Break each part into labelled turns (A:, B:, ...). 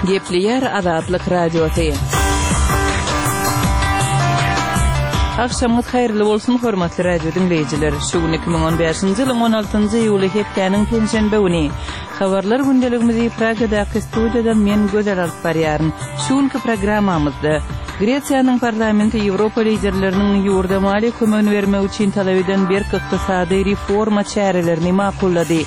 A: Gepleýär Azatlyk Radiosy. Agşamyňyz haýyrly bolsun, hormatly radio diňleýjiler! Şu gün 2015-nji ýylyň 16-njy iýuly hepdäniň penşenbe güni. Habarlar gündeligimizi Pragadaky studiýadan men Gözel alyp barýaryn. Şu günki programmamyzda Gresiýanyň parlamenti Ýewropa liderleriniň ýurda maliýe kömegini bermek üçin talap eden berk ykdysady reforma çärelerini makullady.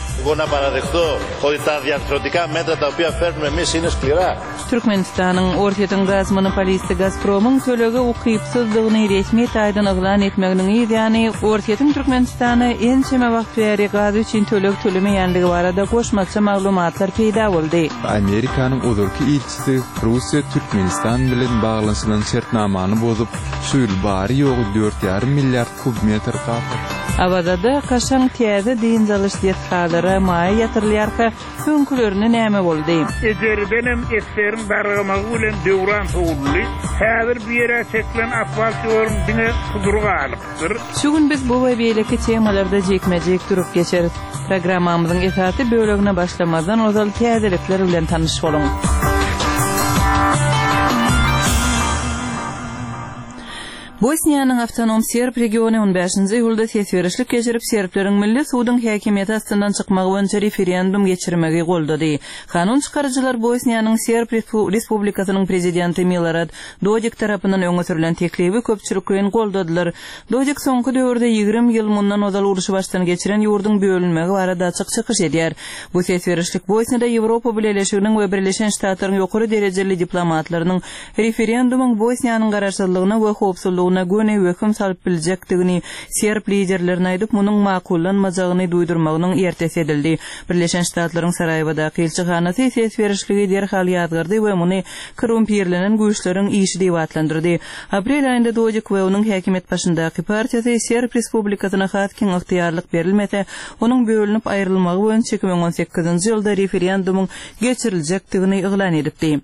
A: Türkmenistanyň Orsýetiň gaz monopolisti Gazpromyň tölege ukypsyzdygyny resmi taýdan yglan etmeginiň yz ýany, Orsýetiň Türkmenistana ençeme wagt bäri gaz üçin töleg tölemeýänligi barada goşmaça maglumatlar peýda boldy.
B: Amerikanyň ozalky ilçisi Russiýa Türkmenistan bilen baglanyşylan şertnamany bozup, şu ýyl bary-ýogy dört ýarym milliard kub metr gaz satdy.
A: Awazada kaşaň täze dynç alyş desgalara maýa ýatyrylýarka, Öňkülerine näme boldy?
C: Ejeridenem esgeriň dargamagy bilen döwran sowuldy. Häzir bu ýere çekilen asfalt ýoluň diňe sudury galypdyr.
A: Şu gün biz bu we beýleki temalarda jikme-jik durup geçeris. Programmamyzyň esasy bölegine başlamazdan ozal täzelikler bilen tanyş boluň. Bosniýanyň awtonom serb regiony on bäşinji iýulda ses berişlik geçirip, serbleriň milli suduň häkimiýeti astyndan çykmagy boýunça referendum geçirmegi goldady. Kanun çykaryjylar Bosniýanyň Serb Respublikasynyň prezidenti Milorad Dodik tarapyndan öňe sürlen teklibi köpçülikleýin goldadylar. Dodik soňky döwürde 20 ýyl mundan ozal urşy başdan geçiren ýurduň bölünmegi barada açyk çykyş edýär. Bu ses berişlik Bosniýada Ýewropa Bileleşiginiň we Birleşen Ştatlaryň ýokary derejeli diplomatlarynyň Referendumyň Bosniýanyň garaşsyzlygyna we howpsuzlygyna göni wehim salyp biljekdigini serb liderlerine aýdyp, munuň makullanmajagyny duýdurmagynyň ertesi edildi. Birleşen Ştatlaryň Saraýewadaky ilçihanasy ses berişligi derhal ýazgardy we muny korrumpirlenen güýçleriň işi diýip atlandyrdy. Aprel aýynda Dodik we onuň häkimiýet başyndaky partiýasy Serb Respublikasyna has giň ygtyýarlyk berilmese, onuň bölünip aýrylmagy boýunça 2018-nji ýylda referendumyň geçiriljekdigini yglan edipdi.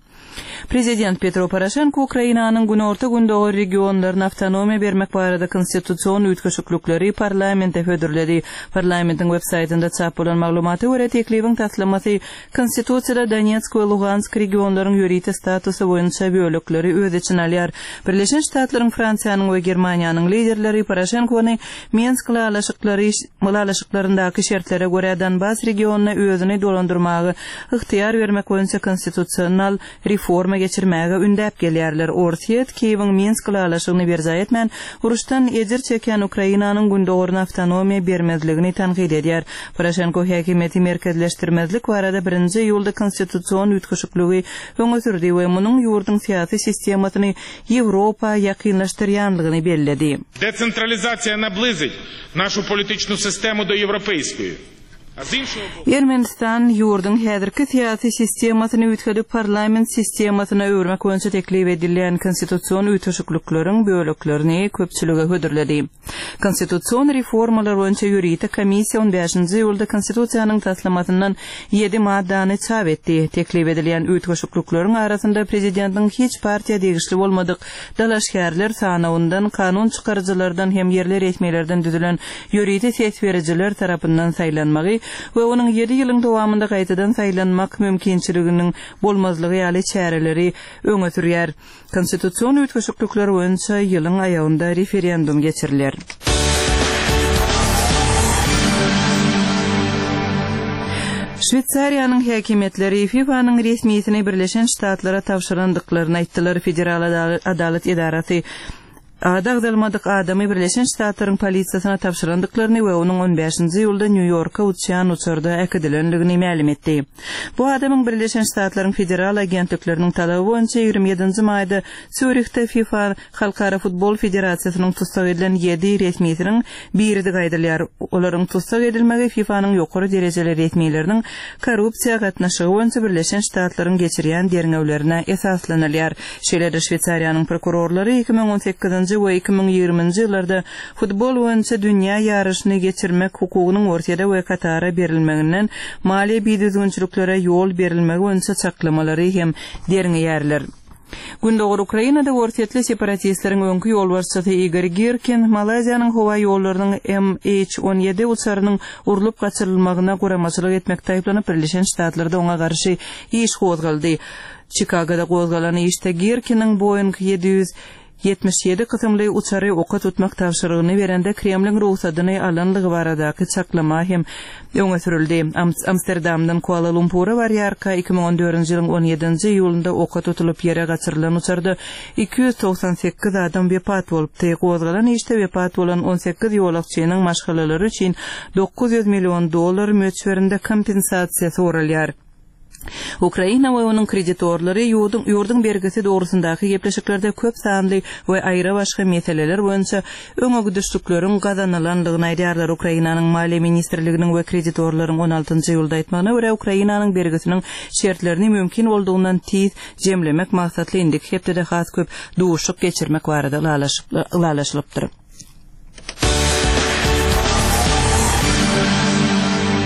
A: Prezident Petro Poroşenko Ukrainanyň günorta-gündogar regionlaryna awtonomiýa bermek barada konstitusion üýtgeşiklikleri parlamente hödürledi. Parlamentiň web-saýtynda çap bolan maglumata görä, teklibiň taslamasy Konstitusiýada Donetsk we Lugansk regionlaryň ýörite statusy boýunça bölekleri öz içine alýar. Birleşen Ştatlaryň, Fransiýanyň we Germaniýanyň liderleri Poroşenkony Minsk ylalaşyklary ylalaşyklaryndaky şertlere görä Donbas regionyna özüni dolandyrmaga ygtyýar bermek boýunça konstitusional reforma geçirmäge ündäp gelýärler. Orsýet Kiýewiň Minsk ylalaşygyny berjaý etmän, uruşdan ejir çekýän Ukrainanyň gündogaryna awtonomiýa bermezligini tankyt edýär. Poroşenko häkimiýeti merkezleşdirmezlik barada birinji iýulda konstitusion üýtgeşikligi öňe sürdi we munuň ýurduň syýasy sistemasyny Ýewropa ýakynlaşdyrýanlygyny belledi.
D: Desentralizasiýa nablizyt našu politiçnu sistemu do ýewropeýskoýi.
A: Ermenistan ýurduň häzirki syýasy sistemasyny üýtgedip, parlament sistemasyna öwürmek boýunça teklip edilýän konstitusion üýtgeşiklikleriň böleklerini köpçülige hödürledi. Konstitusion reformalar boýunça ýörite komissiýa on bäşinji iýulda Konstitusiýanyň taslamasyndan ýedi maddany çap etdi. Teklip edilýän üýtgeşiklikleriň arasynda prezidentiň hiç partiýa degişli bolmadyk dalaşgärler sanawyndan, kanun çykaryjylardan hem ýerli resmilerden düzülen ýörite ses berijiler tarapyndan saýlanmagy we onuň ýedi ýylyň dowamynda gaýtadan saýlanmak mümkinçiliginiň bolmazlygy ýaly çäreleri öňe sürýär. Konstitusion üýtgeşiklikler boýunça ýylyň aýagynda referendum geçiriler. Şweýsariýanyň häkimiýetleri FIFA-nyň resmisini Birleşen Ştatlara tabşyrandyklaryny aýtdylar. Federal adalat edarasy ady agzalmadyk adamy Birleşen Ştatlaryň polisiýasyna tabşyrandyklaryny we onuň on bäşinji iýulda Nýu-Ýorka uçýan uçarda äkidilendigini mälim etdi. Bu adamyň Birleşen Ştatlaryň federal agentlikleriniň talaby boýunça 27-nji maýda Sýurihde FIFA Halkara futbol federasiýasynyň tussag edilen ýedi resmisiniň biridigi aýdylýar. Olaryň tussag edilmegi FIFA-nyň ýokary derejeli resmileriniň korrupsiýa gatnaşygy boýunça Birleşen Ştatlaryň geçirýän derňewlerine esaslanylýar. Şeýle-de Şweýsariýanyň prokurorlary 2018-nji we 2020-nji ýyllarda Futbol boýunça dünýä ýaryşyny geçirmek hukugynyň Orsýede we Katara berilmeginden maliýe bidüzgünçiliklere ýol berilmegi boýunça çaklamalary hem derňeýärler. Gündogar Ukrainada orsýetli separatistleriň öňki ýolbaşçysy Igor Girkin Malaýziýanyň howa ýollarynyň MH 17 uçarynyň urlup gaçyrylmagyna guramaçylyk etmekde aýyplanyp, Birleşen Ştatlarda oňa garşy iş gozgaldy. Çikagoda gozgalan işde Girkiniň Boeing 777 kysymly uçary oka tutmak tabşyrygyny berende Kremliň rugsadyny alanlygy baradaky çaklama hem öňe sürüldi. Amsterdamdan Kuala-Lumpura barýarka, 2014-nji ýylyň on ýedinji iýulynda oka tutulyp ýere gaçyrylan uçarda 298 adam wepat bolupdy. Gozgalan işde wepat bolan 18 ýolagçynyň maşgalalary üçin 900 million dollar möçberinde kompensasiýa soralýar. Ukraina we onuň kreditorlary ýurduň ýurduň bergisi dogrusyndaky gepleşiklerde köp sanly we aýra-başga meseleler boýunça öňegidişlikleriň gazanylandygyny aýdýarlar. Ukrainanyň Maliýe ministrliginiň we kreditorlaryň on altynjy iýulda aýtmagyna görä, Ukrainanyň bergisiniň şertlerini mümkin boldugyndan tiz jemlemek maksatly indiki hepdede has köp duşuşyk geçirmek barada ylalaşylypdyr.